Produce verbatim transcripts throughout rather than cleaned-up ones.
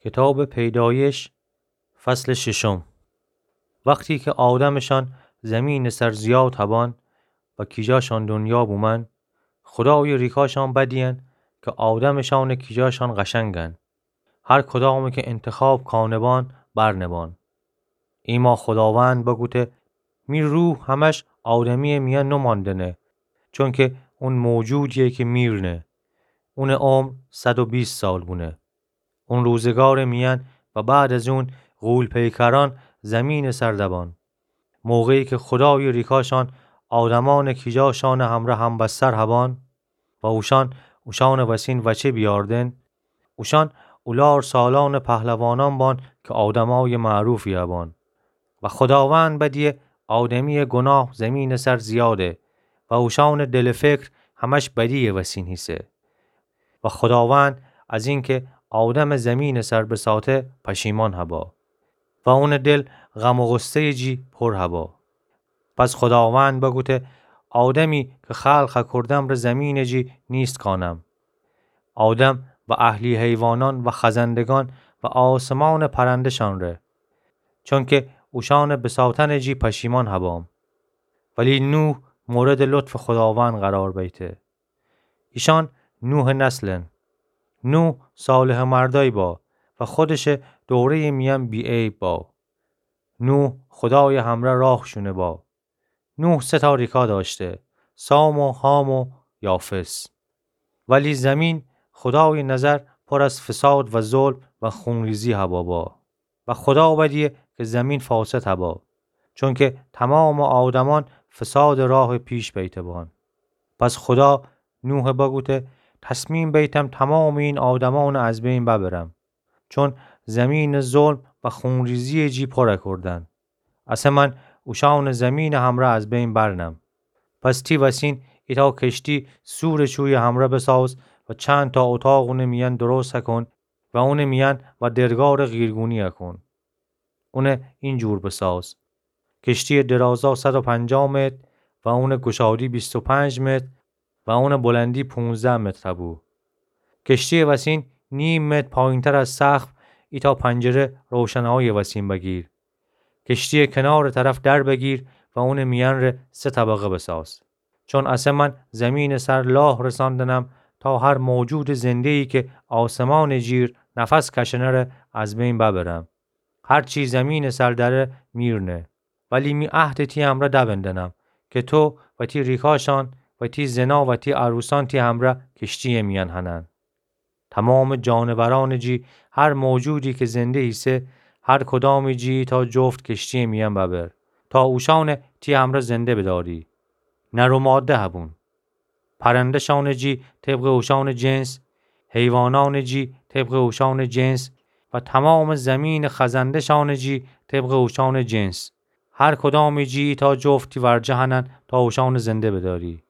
کتابٚ پیدایش، فصلٚ ششم. وختی کی آدمٚشان زیمینٚ سر زیاد هبان و کیجاشان دنیا بومن، خودایٚ ریکاشان بدیین کی آدمٚشانٚ کیجاشان قشنگن. هر کدامی کی انتخاب کانه‌بان برنه‌بان. ایما خوداوند بگوته: می روح همش آدمیٚ میأن نماندنه، چونکی اون موجودییه کی میرنه. اونٚ عمر صد و بیست سال بونه. اون روزگارٚ میأن و بعد از اون غول‌پیکرأن زیمینٚ سر دبان. موقعی کی خودایٚ ریکاشان آدمأنٚ کیجاشانٚ همرأ همبستر هبان و اوشأن اوشأنٚ وسین وچه بیاردن، اوشأن اولار سالأنٚ پهلوانأن بان کی آدمأیٚ معروفی هبان. و خوداوند بدیه آدمییٚ گناه زیمینٚ سر زیاده و اوشأنٚ دل و فکر همش بدییٚ وسین هیسه. و خوداوند از اینکی آدم زیمینٚ سر بساطه پشیمان هبا و اونٚ دل غم و غصه‌یٚ جی پر هبا. پس خوداوند بگوته: آدمی کی خلق هکردم ره زیمینٚ جی نیست کانم، آدم و اهلی حیوانأن و خزندگان و آسمانٚ پرنده‌شان ره، چونکی اوشأنٚ بساطنٚ جی پشیمان هبام. ولی نوح موردٚ لطفٚ خوداوند قرار بیته. ایشأن نوحٚ نسلن. نوح صالحٚ مردأیی با و خودشٚ دوره‌یٚ میأن بی‌عیب با. نوح خودایٚ همرأ راه شونه با. نوح سه تا ریکا دأشته: سام و حام و یافث. ولی زیمین خودایٚ نظر پر از فساد و ظلم و خونریزی هبا با. و خودا بدیه کی زیمین فاسد هبا، چونکی تومامٚ آدمأن فسادٚ راه پیش بیته بان. پس خودا نوح بگوته: تصمیم بیتم تومامٚ این آدمأن از بین ببرم، چون زیمین ظلم و خونریزییٚ جی پر کردن. اسه من اوشأنٚ زیمینٚ همرأ از بین برنم. پس تی وسین ایتأ کشتی سورٚ چویٚ همرأ بساز و چندتا اتاق اونٚ میأن درست کن و اونٚ میأن و درگارٚ قیرگونی کن. اون اینجور بساز: کشتییٚ درازا صد و پنجاه متر و اونٚ گشادی بیست و پنج متر و اونٚ بلندی پونزده متر بو. کشتییٚ وسین نیم متر پایینتر از سقف ایتأ پنجره روشناییٚ وسین بگیر. کشتییٚ کنارٚ طرف در بگیر و اونٚ میأن ره سه طبقه بساز. چون اسه من زیمینٚ سر لاه رساندنم تا هر موجودٚ زنده‌یی کی آسمانٚ جیر نفس کشنه ره از بین ببرم. هر چی زیمینٚ سر دأره میرنه. ولی می عهدٚ تی همرأ دبندنم کی تو و تی ریکاشأن و تی زنا و تی عروسأن تی همرأ کشتییٚ میأن هنن. تومامٚ جانورأنٚ جی هر موجودی کی زنده ایسه، هر کدامٚ جی ایتأ جفت کشتییٚ میأن ببر، تا اوشأن تی همرأ زنده بدأری. نر و ماده هبون. پرنده‌شأنٚ جی طبقٚ اوشأنٚ جنس، حیوانأنٚ جی طبقٚ اوشأنٚ جنس و تومامٚ زیمینٚ خزنده‌شأنٚ جی طبقٚ اوشأنٚ جنس. هر کدامٚ جی ایتأ جفت تی ورجه هنن تا اوشأنٚ زنده بدأری.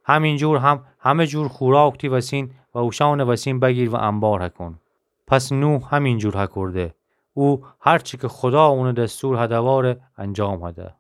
همینجور هم همه جور خوراک تی وسین و اوشأنٚ وسین بگیر و انبار کن. پس نوح همینجور هکرده. او هر چی کی خودا اونٚ دستور هده واره انجام هده.